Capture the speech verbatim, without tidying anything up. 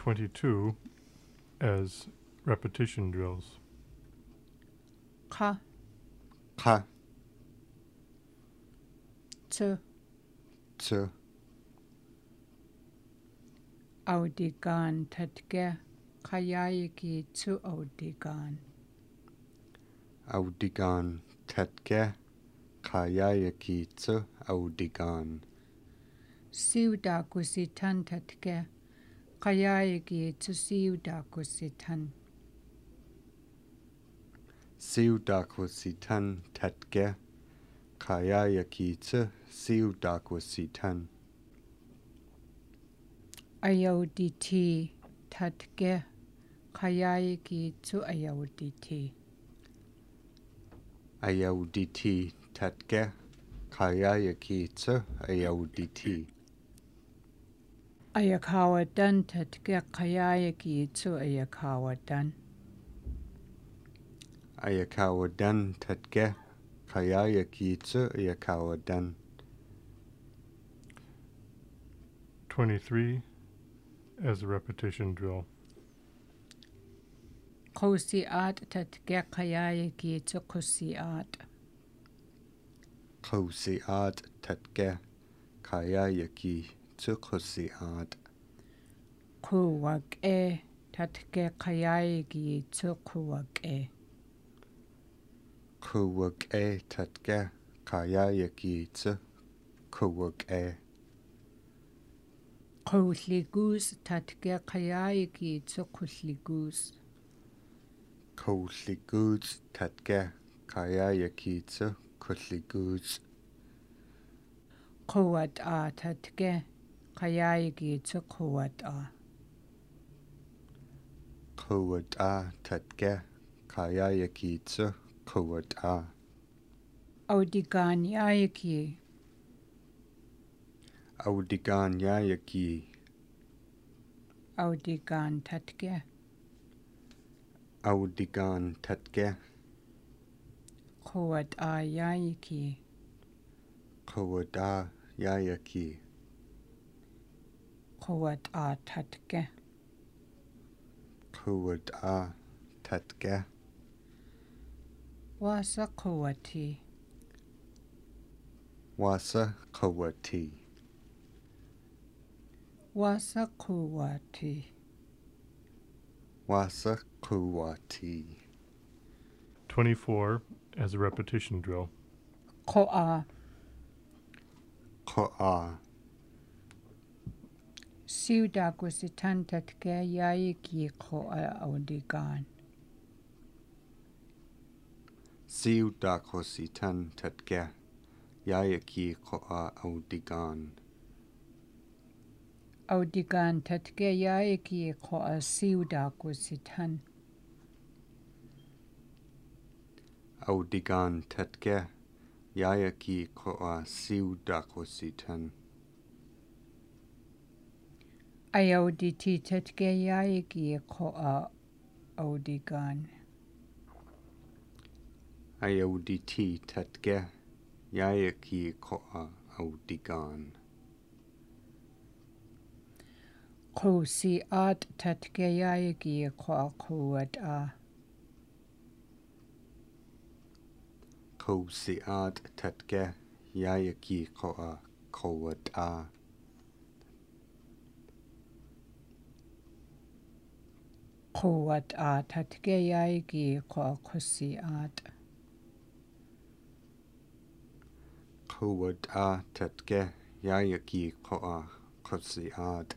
twenty-two as repetition drills. Ka, Ka, tu, tu, audigan tatge, kayayaki tu audigan. audigan tatge, kayayaki tu audigan. Siuda kusitan tatge, kayayaki tu siuda kusitan. Siudakwasitan tatge, kayayaki tu siudakwasitan. Ayauditi tatge, kayayaki tu ayauditi. Ayauditi tatge, kayayaki tu ayauditi. Ayakawadan tatge, kayayaki tu ayakawadan. Ayakawadan tatge, kayayaki tu ayakawadan. twenty-three as a repetition drill. Kosiat tatge, kayayaki tu kosiat. Kosiat tatge, kayayaki tu kosiat. Kuwak e tatge, kayayaki tu kuwak e. Kuwak e tatge, kayayaki tu kuwak e. Kuhligus tatge, kayayaki tu kuhligus. Kuhligus tatge, kayayaki tu kuhligus. Kuwat a tatge, kayayaki tu kuwat a. Kuwat a tatge, kayayaki tu kuwat a. Audigan yayaki. Audigan yayaki. Audigan tatge. Audigan tatge, Kuwat a yayaki. kuwat a yayaki. Kuwat a tatge. Kuwat a tatge. Wasa kuwati. Wasa kuwati. Wasa kuwati. Wasa kuwati. twenty-four as a repetition drill. Ko'a. Ko'a. Siuda kusitan tatge, yayaki ko'a audigan. Siudakositan tatge, yayaki ko'a audigan. Audigan tatge, yayaki ko'a siuda kusitan. Audigan tatge, yayaki ko'a siudakositan. Ayauditi tatge, yayaki ko'a audigan. Ayauditi tatge, yayaki ko'a audigan. Kosiat tatge, yayaki ko'a kuwat a. Kosiat tatge, yayaki ko'a kuwat a. Kuwat a tatge, yayaki ko'a kosiat. Kuwat a tatge, yayaki ko'a kosiat.